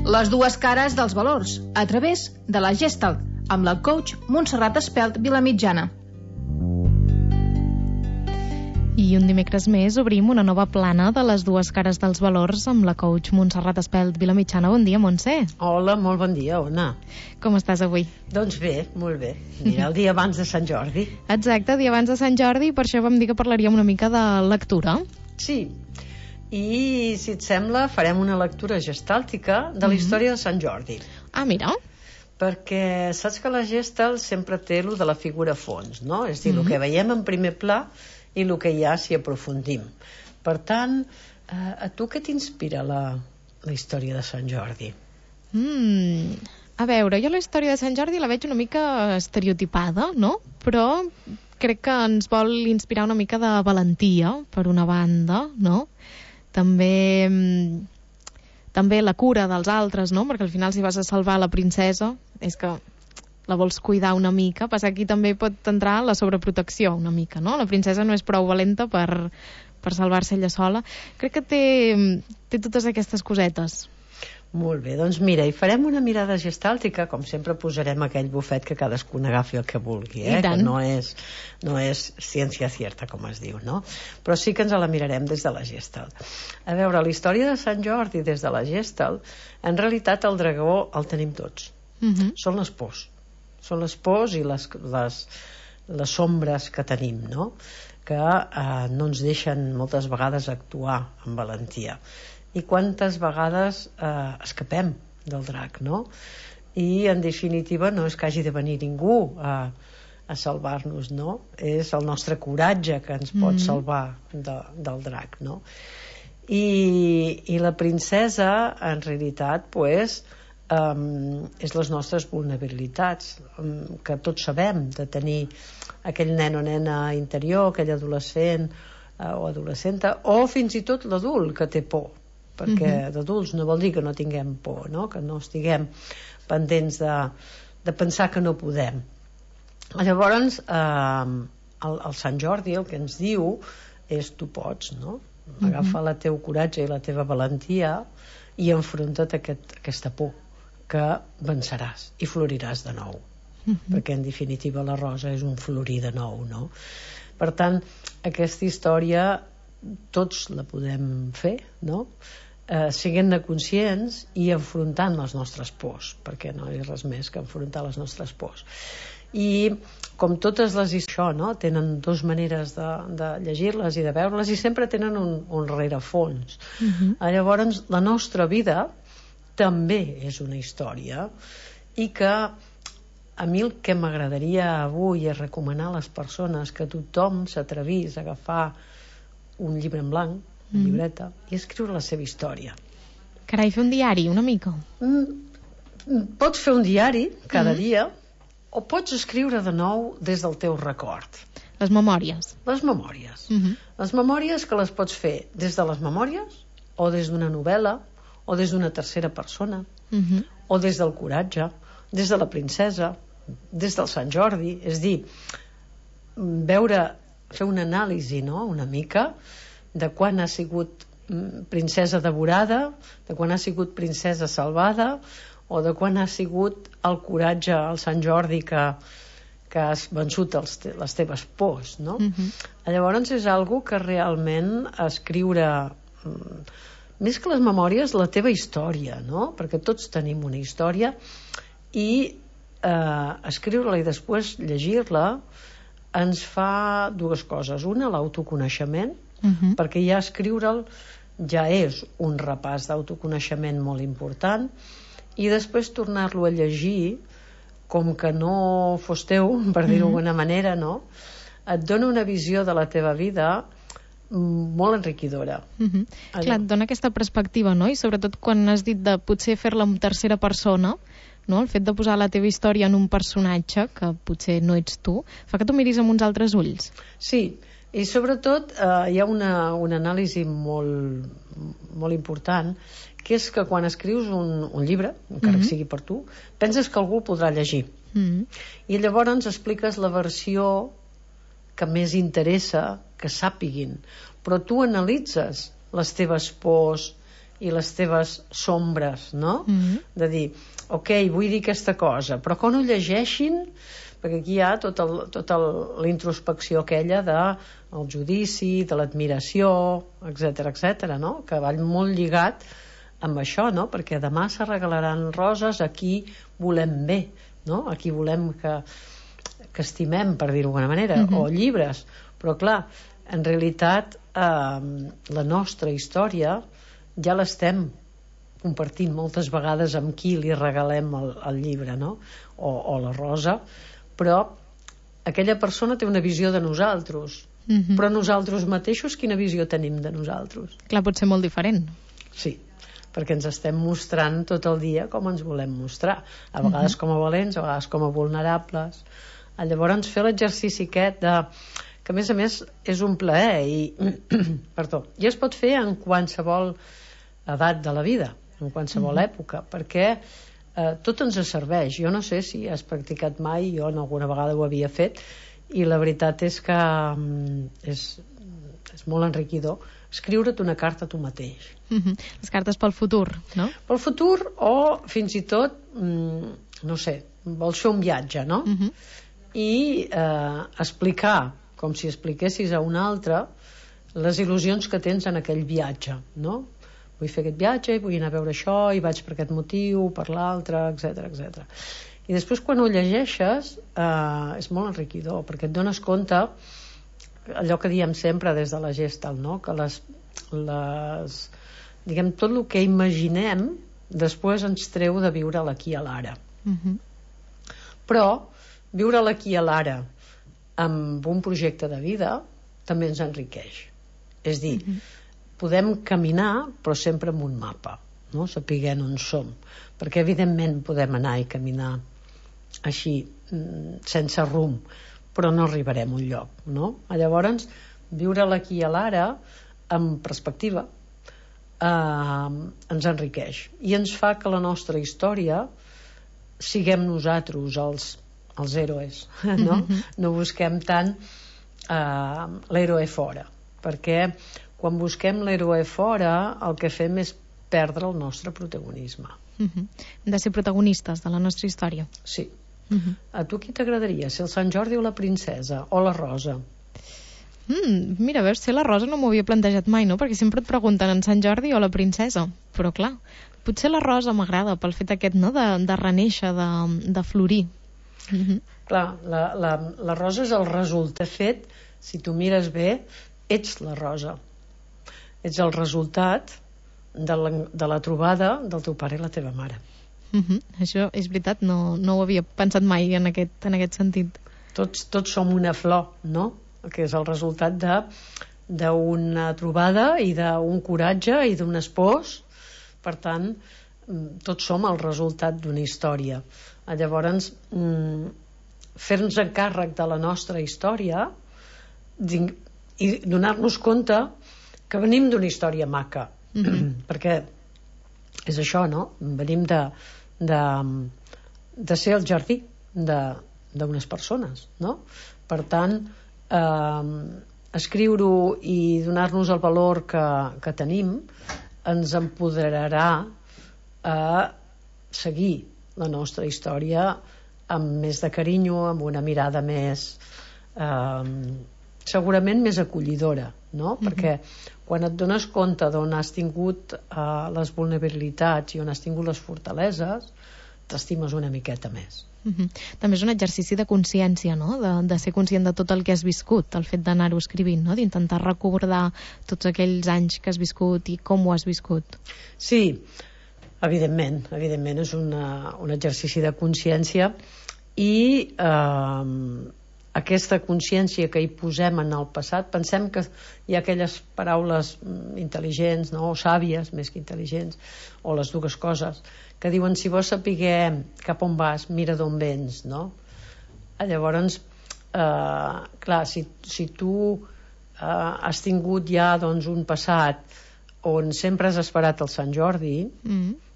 Les dues cares dels valors, a través de la Gestalt, amb la coach Montserrat Espelt Vilamitjana. I un dimecres més obrim una nova plana de les dues cares dels valors amb la coach Montserrat Espelt Vilamitjana. Bon dia, Montse. Hola, molt bon dia, Ona. Com estàs avui? Doncs bé, molt bé. Mira, el dia abans de Sant Jordi. Exacte, dia abans de Sant Jordi, per això vam dir que parlaríem una mica de lectura. Sí, i si et sembla farem una lectura gestàltica de la història de Sant Jordi. Ah, mira. Perquè saps que la Gestalt sempre té lo de la figura fons, no? És a dir, el que veiem en primer pla i el que hi ha si aprofundim. Per tant, a tu què t'inspira la història de Sant Jordi? A veure, jo la història de Sant Jordi la veig una mica estereotipada, no? Però crec que ens vol inspirar una mica de valentia, per una banda, no? També la cura dels altres, no? Perquè al final si vas a salvar la princesa és que la vols cuidar una mica. Passa que aquí també pot entrar la sobreprotecció una mica, no? La princesa no és prou valenta per salvar-se ella sola. Crec que té totes aquestes cosetes. Molt bé, doncs mira, hi farem una mirada gestàltica, com sempre posarem aquell bufet que cadascú n'agafi el que vulgui, que no és ciència cierta, com es diu, no? Però sí que ens la mirarem des de la Gestalt. A veure, la història de Sant Jordi des de la Gestalt, en realitat el dragó el tenim tots. Són les pors. Són les pors i les sombres que tenim, no? Que no ens deixen moltes vegades actuar amb valentia. I quantes vegades escapem del drac, no? I en definitiva no és que hagi de venir ningú a salvar-nos, no? És el nostre coratge que ens pot salvar del drac, no? I la princesa en realitat pues, és les nostres vulnerabilitats, que tots sabem, de tenir aquell nen o nena interior, aquell adolescent o adolescenta, o fins i tot l'adult que té por, perquè d'adults no vol dir que no tinguem por, no? Que no estiguem pendents de pensar que no podem. Llavors el Sant Jordi el que ens diu és tu pots, no? Agafa el teu coratge i la teva valentia i enfronta't a aquesta por, que venceràs i floriràs de nou, perquè en definitiva la rosa és un florir de nou, no? Per tant, aquesta història tots la podem fer, no? Siguent-ne conscients i enfrontant les nostres pors, perquè no és res més que enfrontar les nostres pors. I com totes les històries, no? Tenen dues maneres de llegir-les i de veure-les, i sempre tenen un rerefons. Llavors la nostra vida també és una història, i que a mi el que m'agradaria avui és recomanar a les persones que tothom s'atrevís a agafar un llibre en blanc, una llibreta, i escriure la seva història. Carai, fer un diari, una mica. Pots fer un diari cada dia, o pots escriure de nou des del teu record. Les memòries. Les memòries. Les memòries que les pots fer des de les memòries, o des d'una novel·la, o des d'una tercera persona, o des del coratge, des de la princesa, des del Sant Jordi. És dir, fer una anàlisi, no?, una mica, de quan ha sigut princesa devorada, de quan ha sigut princesa salvada, o de quan ha sigut el coratge al Sant Jordi que has vençut les teves pors, no? Llavors és algo que realment escriure, més que les memòries, la teva història, no? Perquè tots tenim una història, i escriure-la i després llegir-la ens fa dues coses. Una, l'autoconeixement, perquè ja escriure'l ja és un repàs d'autoconeixement molt important, i després tornar-lo a llegir com que no fos teu, per dir-ho d'alguna manera, no? Et dona una visió de la teva vida molt enriquidora. Clar, et dona aquesta perspectiva, no? I sobretot quan has dit de potser fer-la en tercera persona, no? El fet de posar la teva història en un personatge que potser no ets tu, fa que tu miris amb uns altres ulls. Sí, i sobretot hi ha una anàlisi molt important, que és que quan escrius un llibre, encara que sigui per tu, penses que algú el podrà llegir. I llavors expliques la versió que més interessa que sàpiguin, però tu analitzes les teves pors i les teves sombres, no? De dir, ok, vull dir aquesta cosa, però quan ho llegeixin, perquè aquí hi ha tota la introspecció aquella del judici, de l'admiració, etc, no? Que va molt lligat amb això, no? Perquè demà se regalaran roses a qui volem bé, no? A qui volem que estimem, per dir-ho d'alguna manera, o llibres. Però clar, en realitat la nostra història ja l'estem compartint moltes vegades amb qui li regalem el llibre, no? O la rosa, però aquella persona té una visió de nosaltres, però nosaltres mateixos quina visió tenim de nosaltres? Clar, pot ser molt diferent. Sí, perquè ens estem mostrant tot el dia com ens volem mostrar, a vegades com a valents, a vegades com a vulnerables. Llavors fer l'exercici aquest que a més és un plaer i es pot fer en qualsevol edat de la vida, en qualsevol època, perquè tot ens serveix. Jo no sé si has practicat mai, jo alguna vegada ho havia fet, i la veritat és que és molt enriquidor escriure't una carta a tu mateix. Les cartes pel futur, no? Pel futur, o fins i tot no sé, vols fer un viatge, no? I explicar, com si expliquessis a un altre, les il·lusions que tens en aquell viatge, no? Vull fer aquest viatge, vull anar a veure això, i vaig per aquest motiu, per l'altre, etc. I després quan ho llegeixes és molt enriquidor, perquè et dones compte allò que diem sempre des de la Gestalt, no? Que diguem, tot el que imaginem després ens treu de viure l'aquí i l'ara. Però viure l'aquí i l'ara amb un projecte de vida també ens enriqueix. És dir, podem caminar però sempre amb un mapa, no? Sapiguent on som, perquè evidentment podem anar i caminar així sense rumb, però no arribarem a un lloc, no? Llavors viure l'aquí i l'ara amb perspectiva ens enriqueix i ens fa que la nostra història siguem nosaltres els héroes, no? No busquem tant l'héroe fora, perquè quan busquem l'héroe fora el que fem és perdre el nostre protagonisme. Hem de ser protagonistes de la nostra història. Sí. A tu qui t'agradaria? Ser el Sant Jordi o la princesa? O la rosa? Mira, veus, ser la rosa no m'ho havia plantejat mai, no? Perquè sempre et pregunten en Sant Jordi o la princesa. Però clar, potser la rosa m'agrada pel fet aquest, no?, de renéixer, de florir. Clar, la rosa és el resultat. De fet, si tu mires bé, ets la rosa. Ets el resultat de la trobada del teu pare i la teva mare. Això és veritat, no ho havia pensat mai en aquest sentit. Tots som una flor, no? Que és el resultat d'una trobada i d'un coratge i d'un espoç. Per tant, tots som el resultat d'una història. Llavors, fer-nos encàrrec de la nostra història i donar-nos compte que venim d'una història maca, perquè és això, no? Venim de ser el jardí d'unes persones, no? Per tant, escriure-ho i donar-nos el valor que tenim ens empoderarà a seguir la nostra història amb més de carinyo, amb una mirada més segurament més acollidora, no? Perquè quan et dones compte d'on has tingut les vulnerabilitats i on has tingut les fortaleses, t'estimes una miqueta més. També és un exercici de consciència, no? De ser conscient de tot el que has viscut, el fet d'anar-ho escrivint, no? D'intentar recordar tots aquells anys que has viscut i com ho has viscut. Sí, evidentment és un exercici de consciència i aquesta consciència que hi posem en el passat, pensem que hi ha aquelles paraules intel·ligents, no? O sàvies, més que intel·ligents, o les dues coses, que diuen si vols saber cap on vas, mira d'on vens, no? Llavors, clar, si tu has tingut ja doncs, un passat on sempre has esperat el Sant Jordi,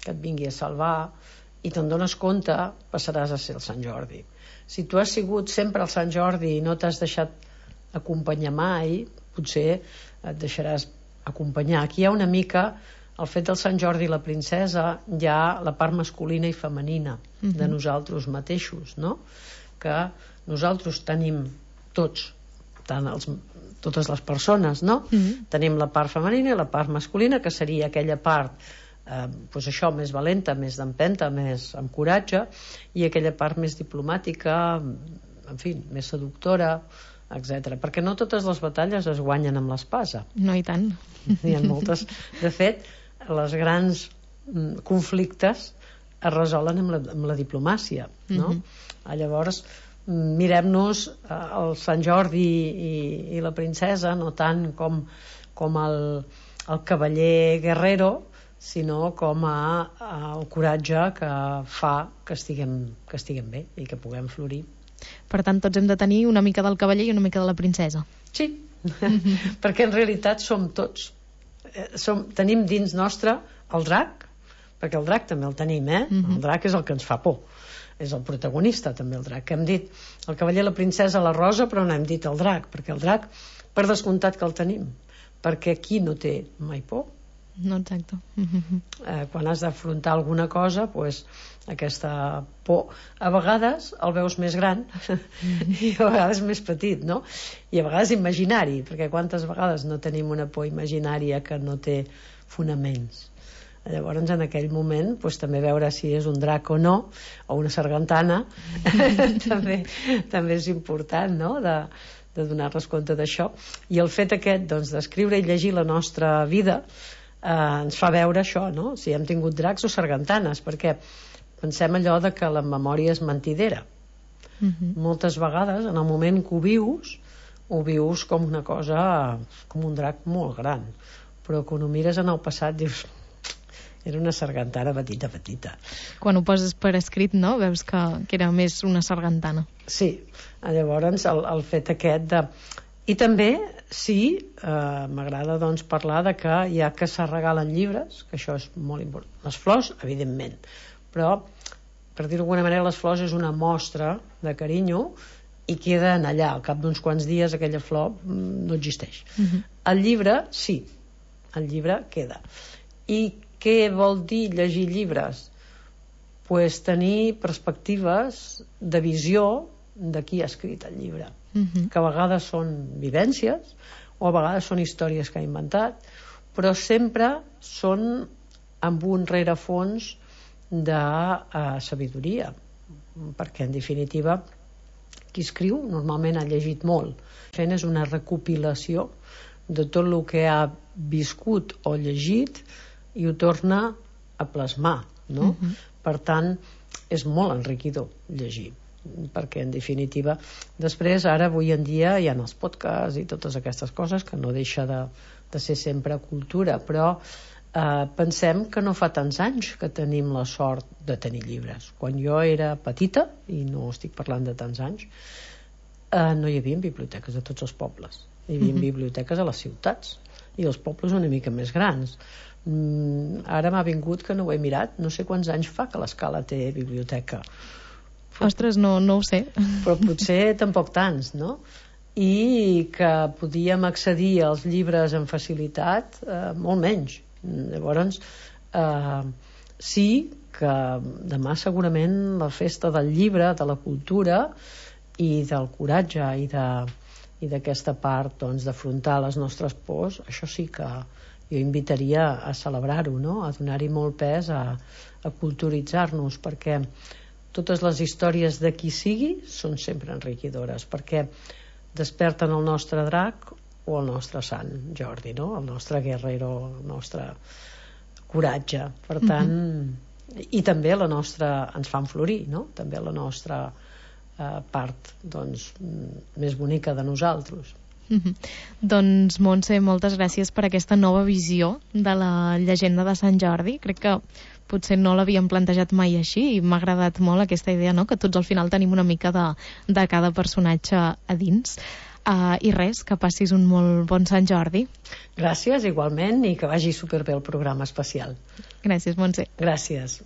que et vingui a salvar, i te'n dones compte, passaràs a ser el Sant Jordi. Si tu has sigut sempre el Sant Jordi i no t'has deixat acompanyar mai, potser et deixaràs acompanyar. Aquí hi ha una mica el fet del Sant Jordi i la princesa hi ha la part masculina i femenina de nosaltres mateixos, no? Que nosaltres tenim tots, totes les persones, no? Tenim la part femenina i la part masculina, que seria aquella part pues això, més valenta, més d'empenta, més amb coratge, i aquella part més diplomàtica, en fi, més seductora, etc. Perquè no totes les batalles es guanyen amb l'espasa. No, i tant. N'hi ha moltes. De fet, els grans conflictes es resolen amb la diplomàcia, no? Llavors, mirem-nos el Sant Jordi i la princesa no tant com el cavaller guerrero, sinó com el coratge que fa que estiguem bé i que puguem florir. Per tant, tots hem de tenir una mica del cavaller i una mica de la princesa. Sí, perquè en realitat som tots. Tenim dins nostre el drac, perquè el drac també el tenim, el drac és el que ens fa por, és el protagonista també el drac, que hem dit el cavaller, la princesa, la rosa, però no hem dit el drac, perquè el drac, per descomptat que el tenim, perquè qui no té mai por? No, exacte. Quan has d'afrontar alguna cosa, pues, aquesta por a vegades el veus més gran i a vegades més petit, no? I a vegades imaginari, perquè quantes vegades no tenim una por imaginària que no té fonaments. Llavors en aquell moment pues, també veure si és un drac o no, o una sargantana també és important, no? de donar-nos compte d'això. I el fet aquest doncs, d'escriure i llegir la nostra vida ens fa veure això, no? Si hem tingut dracs o sargantanes, perquè pensem allò de que la memòria és mentidera. Moltes vegades en el moment que ho vius com una cosa, com un drac molt gran, però quan ho mires en el passat dius era una sargantana petita. Quan ho poses per escrit, no? Veus que era més una sargantana. Sí, llavors el fet aquest de... I també, sí, m'agrada doncs, parlar de que ja que se regalen llibres, que això és molt important. Les flors, evidentment, però, per dir-ho d'alguna manera, les flors és una mostra de carinyo i queden allà. Al cap d'uns quants dies aquella flor no existeix. El llibre, sí, el llibre queda. I què vol dir llegir llibres? Pues tenir perspectives de visió de qui ha escrit el llibre, que a vegades són vivències o a vegades són històries que ha inventat, però sempre són amb un rerefons de sabidoria, perquè en definitiva qui escriu normalment ha llegit molt. Fent és una recopilació de tot el que ha viscut o llegit i ho torna a plasmar, no? Per tant, és molt enriquidor llegir, perquè en definitiva després, ara avui en dia hi ha els podcasts i totes aquestes coses que no deixa de ser sempre cultura, però pensem que no fa tants anys que tenim la sort de tenir llibres. Quan jo era petita, i no estic parlant de tants anys, no hi havia biblioteques a tots els pobles, hi havia biblioteques a les ciutats i els pobles una mica més grans. Ara m'ha vingut que no ho he mirat, no sé quants anys fa que l'Escala té biblioteca. Ostres, no ho sé. Però potser tampoc tants, no? I que podíem accedir als llibres amb facilitat molt menys. Llavors, sí que demà segurament la festa del llibre, de la cultura i del coratge i d'aquesta part doncs, d'afrontar les nostres pors, això sí que jo invitaria a celebrar-ho, no? A donar-hi molt pes, a culturitzar-nos, perquè totes les històries de qui sigui són sempre enriquidores, perquè desperten el nostre drac o el nostre sant Jordi, no? El nostre guerrero, el nostre coratge. Per tant, i també la nostra, ens fan florir, no? També la nostra part doncs, més bonica de nosaltres. Doncs Montse, moltes gràcies per aquesta nova visió de la llegenda de Sant Jordi. Crec que potser no l'havíem plantejat mai així i m'ha agradat molt aquesta idea, no? Que tots al final tenim una mica de cada personatge a dins. I res, que passis un molt bon Sant Jordi. Gràcies, igualment, i que vagi superbé el programa especial. Gràcies, Montse. Gràcies.